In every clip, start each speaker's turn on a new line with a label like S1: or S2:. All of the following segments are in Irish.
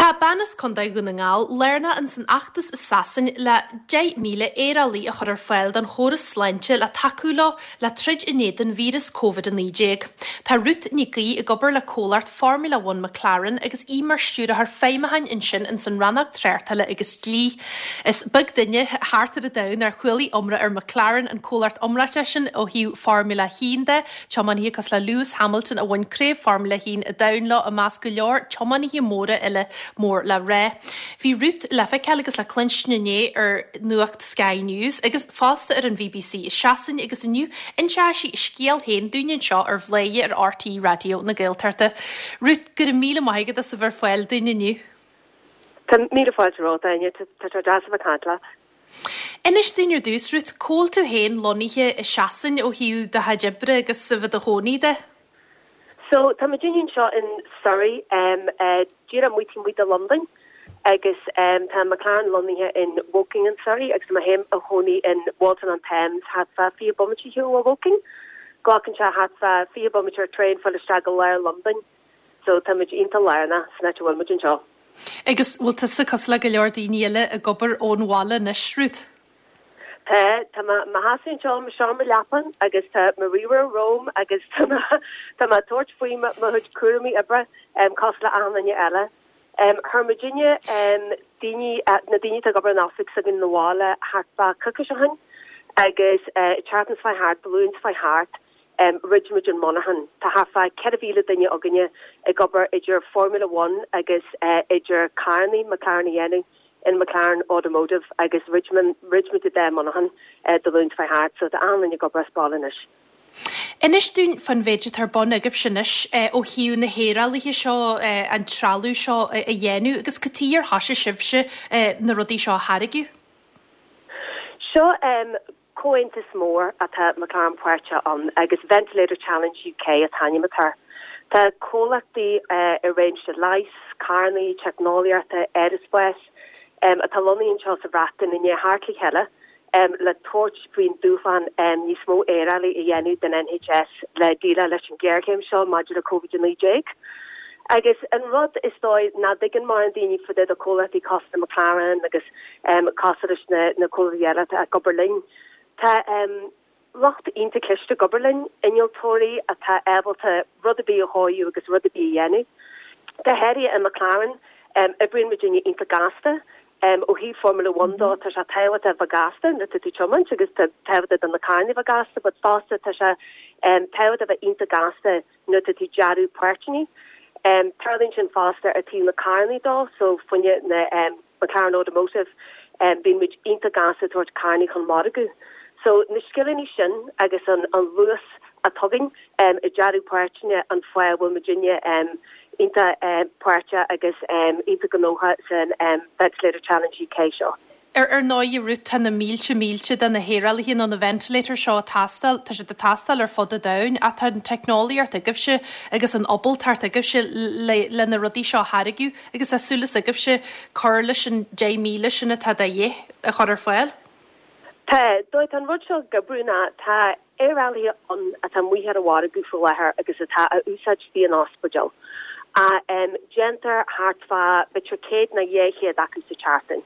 S1: Tá bean as Contae Dhún na nGall lárnach ins an fheachtas i Sasain le 10,000 aerálaí a chur ar fáil don chóras sláinte le tacú leo le troid in éadan víreas Covid-19. Tá Ruth Nic Aoidh ag obair le comhlacht Formula One McLaren agus í mar Stiúrthóir Feidhmiúcháin ansin ins an rannóg tráchtála agus dlí. Is beag duine thart ar an domhan nár chualaigh iomrá ar McLaren, an comhlacht iomráiteach sin ó thaobh Formula 1 de. Tiománaithe cosúil le Lewis Hamilton a bhain Craobh Formula 1 an Domhain leo i measc go leor tiománaithe móra eile mór le rá. Bhí Ruth le feiceáil agus le cluinstin inné ar Nuacht Sky News agus fosta ar an bhBC i Sasain agus inniu inseoidh sí a scéal féin dúinn anseo ar Bhladhaire ar RTÉ Raidió na Gaeltachta. Ruth, go raibh míle maith agat as a bheith ar fáil dúinn inniu.
S2: Tá míle fáilte romhat, Áine. Tá sé deas a bheith ag caint leat.
S1: Inis dúinn ar dtús, Ruth, cá bhfuil tú féin lonnaithe i Sasain ó thaobh do chuid oibre agus a bheith i do chónaí de?
S2: So, tá muidinne anseo in Surrey, díreach amuigh taobh amuigh de Londain agus tá McLaren lonnaithe in Woking in Surrey agus tá mé féin i mo chónaí in Walton on Thames thart fá 20 bomaite ar shiúl ó Woking. Glacann sé thart fá 20 bomaite ar traein fáil isteach go lár Londain. So, tá muid iontach lárnach san áit a bhfuil muid anseo.
S1: Agus bhfuil tusa cosúil le go leor daoine eile ag obair ón bhaile anois, Ruth?
S2: Tá, tá mé i mo sheasamh anseo i mo sheomra leapan agus tá mo ríomhaire romham agus tá mé, tá mé ag tabhairt faoi mo chuid cúraimí oibre cosúil le achan duine eile. Chuir muidinne daoine, na daoine atá ag obair in oifig s'againn 'na bhaile thart fá coicís ó shin agus an tseachtain seo chuaigh thart, Dé Luain seo chuaigh thart, Dhruid muid an monarchan. Tá thart fá 4,000 duine againne ag obair idir Formula One agus idir carrannaí McLaren a dhéanamh in McLaren Automotive agus dhruid muid an dá monarchan Dé Luain seo chuaigh thart so tá achan duine ag obair as baile anois.
S1: Inis dúinn fán mhéid atá ar bun agaibhse anois ó thaobh na haerálaithe seo, an trealamh seo a dhéanamh agus cad chuige ar thoisigh sibhse na rudaí seo a tháirgeadh?
S2: Seo Comhaontas mór atá McLaren páirteach ann agus Ventilator Challenge UK an t-ainm atá air. Tá comhlachtaí i réimse leighis, carrannaí, teicneolaíochta, aerospáis atá lonnaithe anseo sa Bhreatain i ndiaidh theacht le chéile le tabhairt faoin dúshlán níos mó aerálaí a dhéanamh don NHS le déileáil leis an ghéarchéim seo maidir le Covid-19. Agus an rud is dóigh nach dtuigeann mórán daoine fá dtaobh de comhlachtaí cosúil le McLaren agus cosúil leis na comhlachtaí eile atá ag obair linn, tá lucht iontach cliste ag obair linn, innealtóirí atá ábalta rud ar bith a chóiriú agus rud ar bith a dhéanamh. Go háirithe i McLaren, oibríonn muidinne iontach gasta. Ó thaobh Formula One dó, tá sé tábhachtach a bheith gasta nuair atá tú ag tiomáint agus tá tábhachtach do na carranna a bheith gasta but fosta tá sé tábhachtach a bheith iontach gasta nuair atá tú ag dearadh páirteanna. Tarlaíonn sin fosta ar taobh na carrannaí dó, so fá choinne na McLaren Automotive, bíonn muid iontach gasta ag tabhairt carrannaí chun margadh. So na scileanna sin agus an luas atá againn ag dearadh páirteanna an fáth a bhfuil muidinne iontach páirteach agus iontach gnóthach san Ventilator Challenge UK seo.
S1: Ar ndóigh, a Ruth, tá na mílte mílte de na haerálaithe nó na ventilators seo ag teastáil, tá siad ag teastáil ar fud an domhain ach tá an teicneolaíocht agaibhse agus an ábaltacht agaibhse le le na rudaí seo a tháirgeadh agus tá súil agaibhse cur leis an 10,000 sin atá de dhíth a chur ar fáil.
S2: Tá, tá an rud seo ag oibriú ná tá aerálaithe ann atá amuigh ar an mhargadh faoi láthair agus atá á úsáid istigh in ospidéil. Déantar thart fá b'fhéidir 100 nó 200 acu sa tseachtain.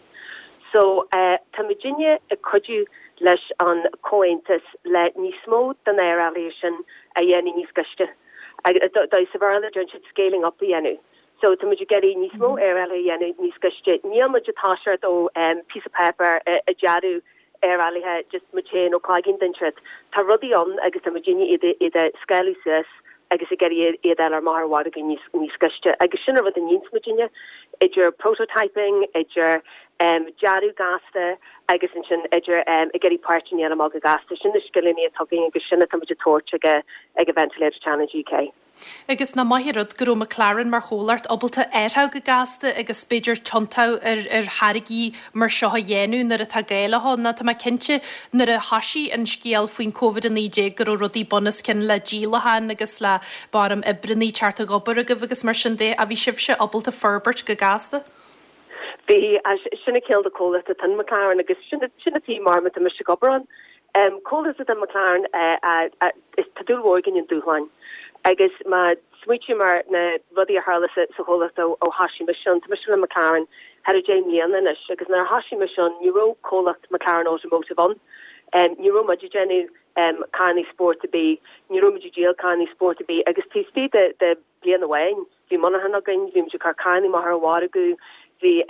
S2: So tá muidinne ag cuidiú leis an comhaontas le níos mó de na aerálaithe sin a dhéanamh níos gaiste. Sa Bhéarla deireann siad scaling up a dhéanamh. So tá muid ag iarraidh níos mó aerálaithe a dhéanamh níos gaiste. Níl muid ag toiseacht ó píosa páipéir ag dearadh aerálaithe just muid féin ó cloigeann den siad. Tá rudaí ann agus tá muidinne iad iad a scáileadh suas agus ag iarraidh iad a fháil amach ar an mhargadh níos níos gaiste. Agus sin an rud a níonns muidinne, idir prototyping, idir dearadh gasta agus ansin idir ag iarraidh páirteanna a fháil amach go gasta. Sin na scileanna atá againn agus sin atá muid ag tabhairt ag ag an Ventilator Challenge UK.
S1: Agus nach maith an rud go raibh McLaren mar chomhlacht ábalta athrú go gasta agus b'fhéidir tiontú ar ar tháirgí mar seo a dhéanamh nuair atá gá leo nó tá mé cinnte nuair a thoisigh an scéal faoin Covid-19 go raibh rudaí bunoscionn le díolacháin agus le barm oibreannaí teacht ag obair agaibh agus mar sin de ach bhí sibhse ábalta forbairt go gasta.
S2: Bhí, sin an cineál de comhlacht atá in McLaren agus sin sin an taobh mar atá mise ag obair ann. Comhlacht atá in McLaren is tá dúil mhór againn i ndúshláin agus má. Smaoitím ar na rudaí a tharla sa chomhlacht ó thoisigh mise ann. Tá mise le McLaren thar a 10 mbliana anois agus nuair a thoisigh mise ann ní raibh comhlacht McLaren Automotive ann. Ní raibh muid ag déanamh carrannaí spóirt ar bith, ní raibh muid ag díol carrannaí spóirt ar bith agus taobh istigh de bliain amháin bhí monarchan againn, bhí muid ag cur carrannaí amach ar an mhargadh, bhí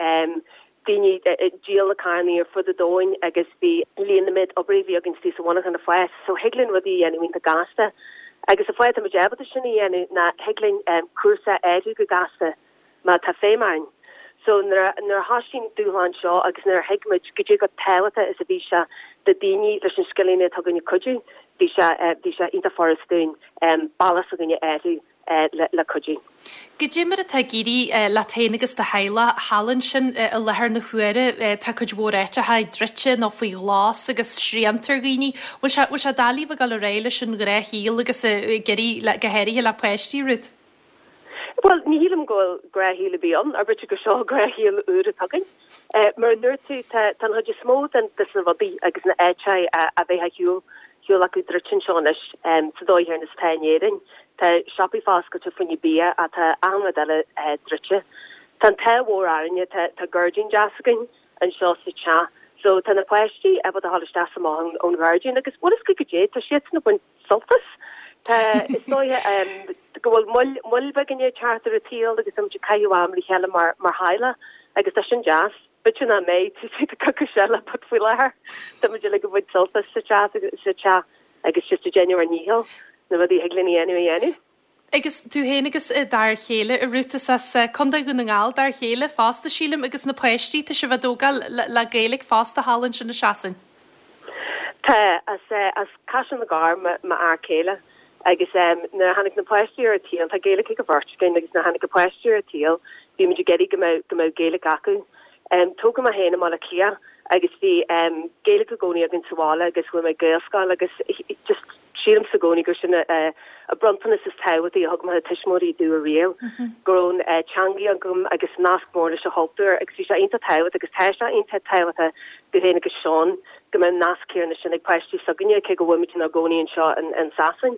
S2: daoine ag díol na carrannaí ar fud an domhain agus bhí líon na méid oibrithe a bhí againn istigh sa mhonarchan ag fás so thig linn rudaí a dhéanamh iontach gasta agus an fáth atá muid ábalta sin a dhéanamh ná thig linn cúrsa a athrú go gasta má tá feidhm orainn. So nuair a nuair a thoisigh an dúshlán seo agus nuair a thuig muid goidé chomh tábhachtach is a bhí sé do daoine leis na scileanna atá againn cuidiú, bhí sé bhí sé iontach furast dúinn bealach s'againne a athrú le cuidiú.
S1: Goidé mar atá ag éirí leat féin agus do theaghlach thall ansin i láthair na huaire? Tá cuid mhór áiteacha druidte nó faoi ghlas agus srianta ar dhaoine. Bhfuil sé bhfuil sé doiligh bheith ag dul ar aghaidh leis an ghnáthshaol agus ag éirí le go háirithe le páistí, Ruth?
S2: Bhuel, ní shílim go bhfuil gnáthshaol ar bith ann, ar b'fhéidir gur seo gnáthshaol úr atá againn. Mar a dúirt tú, tá an chuid is mó den des na rudaí agus na áiteacha a bheadh ar shiúl shiúl acu druidte anseo anois sa dóigh chéanna is atá in Éirinn. Tá siopaí foscailte fá choinne bia ach tá achan rud eile druidte. Tá an t-ádh mhór orainne, tá tá gairdín deas againn anseo sa teach so tá na páistí ábalta a dhul isteach is amach ón ghairdín agus bhfuil fhios agat goidé, tá siadsan ag baint sult as. Tá, is dóiche, go bhfuil moill, moill bheag i ndiaidh teacht ar an tsaol agus táimid ag caitheamh am le chéile mar, mar theaghlach agus tá sin deas. B'fhéidir nach mbeidh taobh istigh de coicís eile but faoi láthair táimid uilig ag baint sult as sa teach, sa teach agus just ag déanamh ár ndícheall na rudaí a thig linn a dhéanamh a dhéanamh.
S1: Agus tú féin agus d'fhear chéile, a Ruth, is as Contae Dhún na nGall d'fhear chéile fosta, sílim, agus na páistí, tá sibh á dtógáil le Gaeilge fosta thall ansin i Sasain.
S2: Tá, as as Caiseal na gCorr m'fhear céile agus nuair a tháinig na páistí ar an tsaol, tá Gaeilge ag an bheirt againn agus nuair a tháinig na páistí ar an tsaol bhí muid ag iarraidh go mbeadh go mbeadh Gaeilge acu. Tógadh mé féin i mBaile Átha Cliath agus bhí Gaeilge i gcónaí againn sa bhaile agus chuaigh mé ag Gaelscoil agus just Sílimse i gcónaí gur sin an bronntanas is tábhachtaí a thug mo thuismitheoirí domh ariamh, go raibh an teangaidh agam agus nasc mór leis an chultúr agus bhí sé iontach tábhachtach agus tá sé iontach tábhachtach domh féin agus Seán go mbeadh an nasc céanna sin ag páistí s'againne cé go bhfuil muid inár gcónaí anseo in Sasain.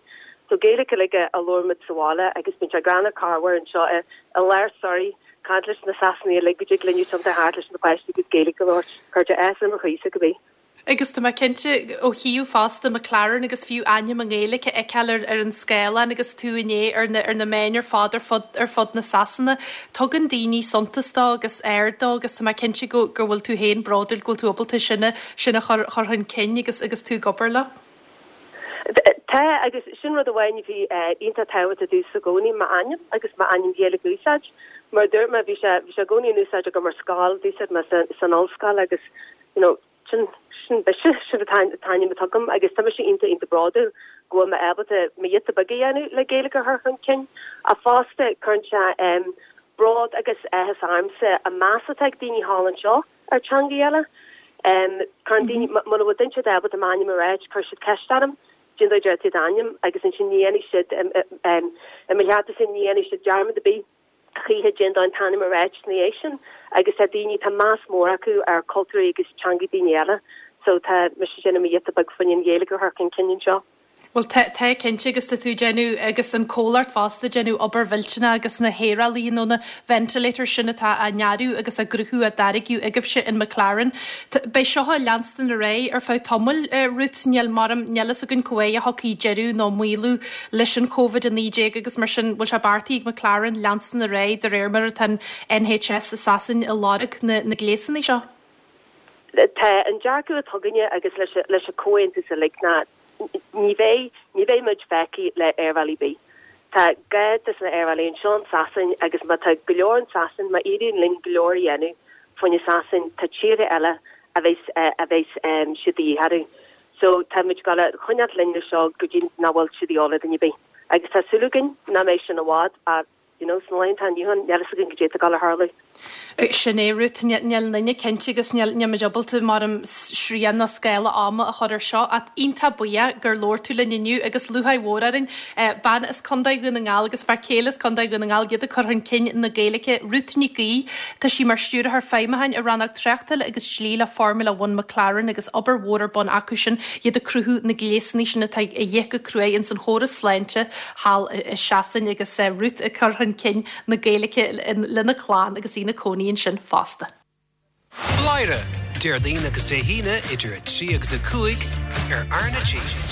S2: So Gaeilge uilig a labhraímid sa bhaile agus bíonn sé greannmhar corruair anseo i lár Surrey caint leis na Sasanaigh uilig go dtig linn tiontú thart leis na páistí agus Gaeilge a labhairt. Cuireann sé áthas ar mo chroísa cibé.
S1: Agus tá mé cinnte, ó thaobh fosta McLaren agus fiú ainm i nGaeilge a fheiceáil ar ar an scáileán agus tú inné ar na ar na meáin ar fad ar fud ar fud na Sasana, tugann daoine suntas dó agus aird dó agus tá mé cinnte go go bhfuil tú féin bródúil go bhfuil tú ábalta sin a sin a chur chur chun cinn agus agus tú ag obair leo.
S2: Tá, agus sin rud amháin a bhí iontach tábhachtach domhsa i gcónaí, m'ainm agus m'ainm Gaeilge a úsáid. Mar a dúirt mé, bhí sé bhí sé i gcónaí in úsáid agam ar scoil, d'úsáid mé san san ollscoil agus you know, sin, sin mise, sin an t-ainm atá agam agus tá mise iontach, iontach bródúil go bhfuil mé ábalta mo ghiota beag a dhéanamh le Gaeilge a chur chun cinn. Ach fosta, cuireann sé em bród agus áthas ormsa an meas atá ag daoine thall anseo ar teangaí eile. Em cuireann daoine, muna bhfuil duine ábalta m'ainm a ráit, cuireann siad ceist orm, cén dóigh a deir tú d'ainm agus ansin ní dhéanfaidh siad, em i mo chearta ní dhéanfaidh siad dearmad ar bith. choíche cén dóigh an t-ainm a ráit ina dhiaidh sin agus tá daoine, tá meas mór acu ar cultúirí agus teangaí daoine eile so tá mise ag déanamh mo ghiota beag fá choinne an Ghaeilge a chur chun cinn anseo.
S1: Bhuel tá, tá cinnte agus tá tú ag déanamh agus an comhlacht fosta ag déanamh obair mhillteanach agus na haerálaithe nó na ventilators sin atá á ndearadh agus á gcruthú á dtáirgeadh agaibhse in McLaren. Beidh seo ag leanstan ar aghaidh ar feadh tamaill, Ruth, níl mar, níl fhios againn cá huair a thiocfaidh deireadh nó maolú leis an Covid-19 agus mar sin bhfuil sé beartaithe ag McLaren leanstan ar aghaidh de réir mar atá an NHS i Sasain ag lorg na na gléasanna seo?
S2: Tá an dearcadh atá againne agus leis leis an comhaontas uilig ná ní bheidh ní bheidh muid feicthe le aerbhealaí ar bith. Tá gá dos na aerbhealaí anseo in Sasain agus má tá go leor in Sasain, má éiríonn linn go leor a dhéanamh fá choinne Sasain, tá tíortha eile a bheas a bheas siad de dhíth orthu. So tá muid ag dul a choinneáilt linn leis seo go dtí nach bhfuil siad de dhíobháil ar dhuine ar bith. Agus tá súil againn nach mbeidh sin i bhfad ach, you know, sna laethanta inniu ann, níl fhios againn goidé atá ag dul a tharlú.
S1: Sin é, Ruth, níl aon duine cinnte agus níl muid ábalta maram srian nó scála ama a chur ar seo ach iontach buíoch gur labhair tú linn inniu agus lúcháir mhór orainn. Bean as Contae Dhún na nGall agus fear céile as Contae Dhún na nGall, iad ag cur chun cinn na Gaeilge. Ruth Nic Aoidh, tá sí mar Stiúrthóir Feidhmiúcháin i Rannóg Tráchtála agus Dlí le Formula One McLaren agus obair mhór ar bun acu sin, iad ag cruthú na gléasanna sin atá a dhíth go cruaidh ins an chóras sláinte thall i Sasain agus Ruth ag cur chun cinn na Gaeilge lena clann agus í ina cónaí ansin fosta.
S3: Bladhaire, Déardaoin agus Dé hAoine idir 3 agus 5 ar R na G.